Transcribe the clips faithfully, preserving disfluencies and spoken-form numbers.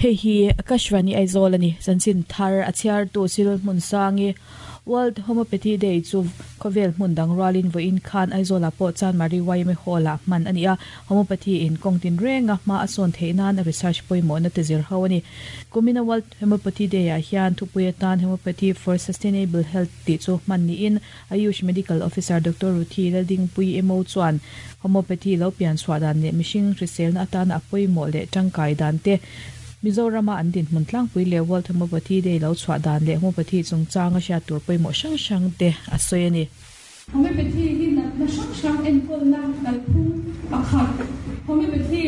Hei hi Akashvani Aizawl ani chanchin thar a chhiar tu Cyril Hmunsangi World Homeopathy Day chu khawvel hmun dang rualin vawiin khan Aizawlah pawh Chanmari Y M A Hall-ah hman a ni a. Homeopathy in kawng tin renga hma a sawn theih nan a research pawimawhna te zir ho a ni. Kumina World Homeopathy Day-ah hian thupui atan Homeopathy for Sustainable Health tih chu hman niin Ayush Medical Officer Doctor Ruthi Laldingpui M O chuan Homeopathy lo pian chhuah dan leh mihring hriselna atana a pawimawh leh tangkai dan te Mizorama an din hmun tlangpui leh World Homeopathy Day lo chhuah dan leh Homeopathy chungchang a hriat tur pawimawh hrang hrang te a sawi a ni. Homeopathy hi natna hrang hrang enkawlna kalphung pakhat. Homeopathy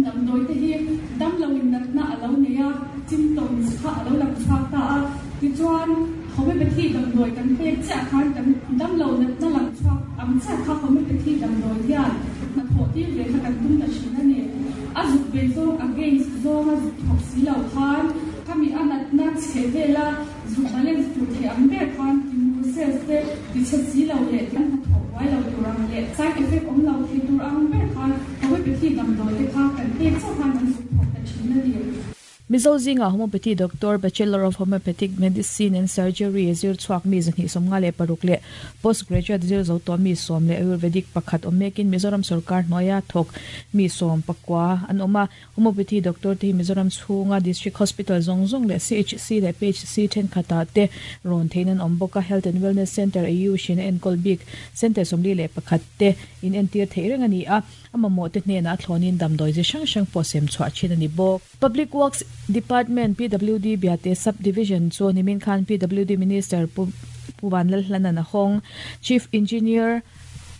damdawi te hi damloin natna a lo nei a, symptoms kha a lo lang chhuak ta a. Tichuan homeopathy damdawi kan pek chiah khan kan damlo natna lang chhuak ang chiah kha homeopathy damdawi hian hnathawh tir ve kha kan tum ta thin a ni. A zuk ve zawng against zawng a zuk thawk si lo khan khami a natna chhe vela zuk balance tur thei ang ber khan timur cells te tichhe si lo leh an hnathawh buai lo tur ang leh side effect awm lo thei tur ang ber khan homeopathy damdawi te kha kan pek chauh khan an zuk thawk ta thin a ni. Mizo zinga Homeopathy Doctor Bachelor of Homeopathic Medicine and Surgery zir chhuak mi zahnih sawmnga leh paruk leh postgraduate zir zo tawh mi sawm leh Ayurvedic pakhat awm mekin Mizoram sarkar hnuaia thawk mi sawm pakua an awm a. Homeopathy Doctor te hi Mizoram chhunga District Hospital zawng zawng leh C H C leh P H C thenkhatah te rawn thein an awm bawk a. Health and Wellness Center A U hrin a enkawl bik Center sawmli leh pakhat te in entir theih reng a ni a. A mamawh te hnenah a thlawnin damdawi zi hrang hrang pawh sem chhuah thin a ni bawk. Public Works Department P W D Biate Subdivision chu nimin khan P W D Minister Pu Vanlal Hlanan a hawng. Chief Engineer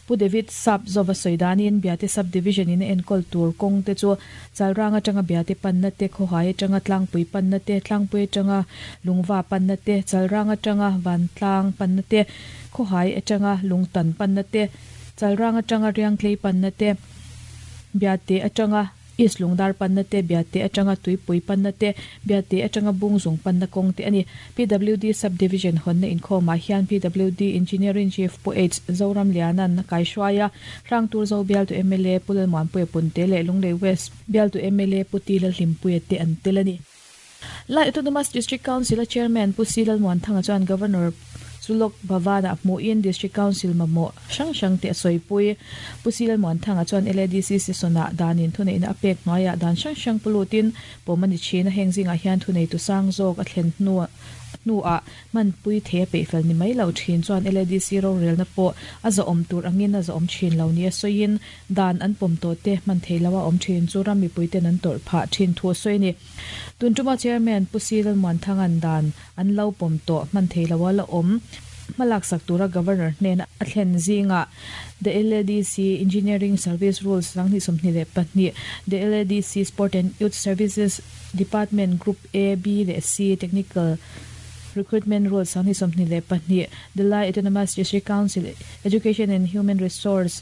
Pu David Sap Zova Soidanin Biate Subdivision in a enkawl tur kawng te chu Chalrang atanga Biate panna te, Khawhai atanga Tlangpui panna te, Tlangpui atanga Lungva panna te, Chalrang atanga Vantlang panna te, Khawhai atanga Lungtan panna te, Chalrang atanga Riangtlei panna te, Biate atanga East Lungdar panna te, Biate atanga Tuipui panna te, Biate atanga Bungzung panna kawng te ani. P W D Subdivision honna inkhawmah hian P W D Engineering Chief Pu H Zoram Lianan kai hruaia Hrangtur Zo bial tu M L A Pu Lalmuanpuia Punte leh Lunglei West bial tu M L A Pu Ti Lalhlimpuia te an tel a ni. Lai Autonomous District Council a Chairman Pu C Lalmuanthanga chuan Governor Chulok Bhavana hmuhin District Council mamawh hrang hrang te a sawipui. Pu C Lalmuanthanga chuan L A D C session-ah danin thuneihna a pek hnuaiah dan hrang hrang pulutin pawm a ni thin a. Heng zingah hian thunei tu sang zawk a thlen hnu hnuah manpui thei a peihfel ni mai lo thin chuan L A D C rorelna pawh a zawm tur angin a zawm thin lo ni a sawiin dan an pawm tawh te hman thei lo a awm thin chu ram mipui ten an tawrh phah thin thu a sawi a ni. Tuntuma Chairman Pu C Lalmuanthangan dan an lo pawm tawh hman thei lo a la awm hmalak sak tura Governor hnena a thlen zinga The L A D C Engineering Service Rules sanghnih sawmhnih leh pahnih, The L A D C Sport and Youth Services Department Group A, B leh C Technical Recruitment Rules sanghnih sawmhnih leh pahnih, The Lai Autonomous District Council Education and Human Resource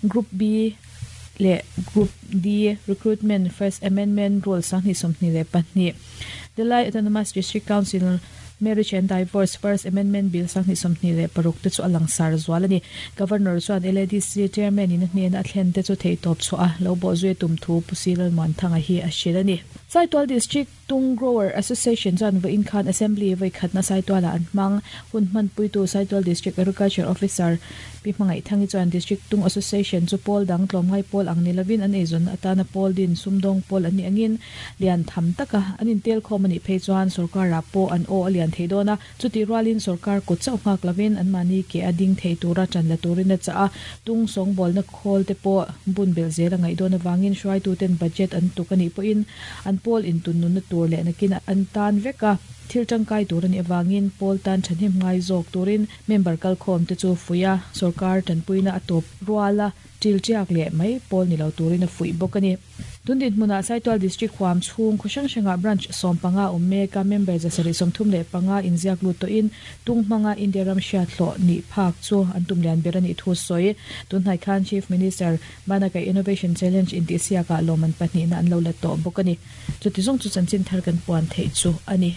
Group B leh Group D Recruitment First Amendment Rules sanghnih sawmhnih leh pahnih, The Lai Autonomous District Council Marriage and Divorce First Amendment Bill sanghnih sawmhnih leh paruk te chu a langsar zual a ni. Governor chuan L A D C Chairman in a hnena a thlen te chu thei tawp chhuah a lo bawh zui tum thu Pu C Lalmuanthanga hi a hrilh a ni. Saitual District Tung Grower Association chuan vawiin khan Assembly vawi khatna Saitualah an hmang. Hun hmanpuitu Saitual District Agriculture Officer Pi Hmangaih Thangi chuan District Tung Association chu pawl dang tlawmngai pawl ang ni lovin an eizawn atana pawl din sumdawng pawl an ni angin lian tham taka an intel khawm a nih phei chuan sarkarah pawh an aw a lian thei dawn a. Chuti rualin sarkar kut chauh nghak lovin an mahni ke a ding thei tura tan la turin a chah a. Tung sawngbawlna khawl te pawh bun bel zel a ngaih dawn avangin hruaituten budget an tuk a nih pawhin an pawl intunnunna tur leh nakin an tan vek a. Thil tangkai tur a nih avangin pawl tan thahnem ngai zawk turin member kalkhawm te chu fuia sarkar tanpuina a tawp ruala til tiak leh mai pawl ni lo turin a fuih bawk a ni. Tundin hmunah Saitual District huam chhung khaw hrang hrangah branch sawm panga awm mek a. Member zasarih sawmthum leh panga inziak lut tawhin tung hmanga India ram hriat hlawh nih phak chu an tum lian ber a nih thu sawi. Tunhnai khan Chief Minister Banakai Innovation Challenge intihsiakah lawman pahnihna an lo la tawh bawk a ni. Chuti zawng chu chanchin thar kan puan theih chu a ni.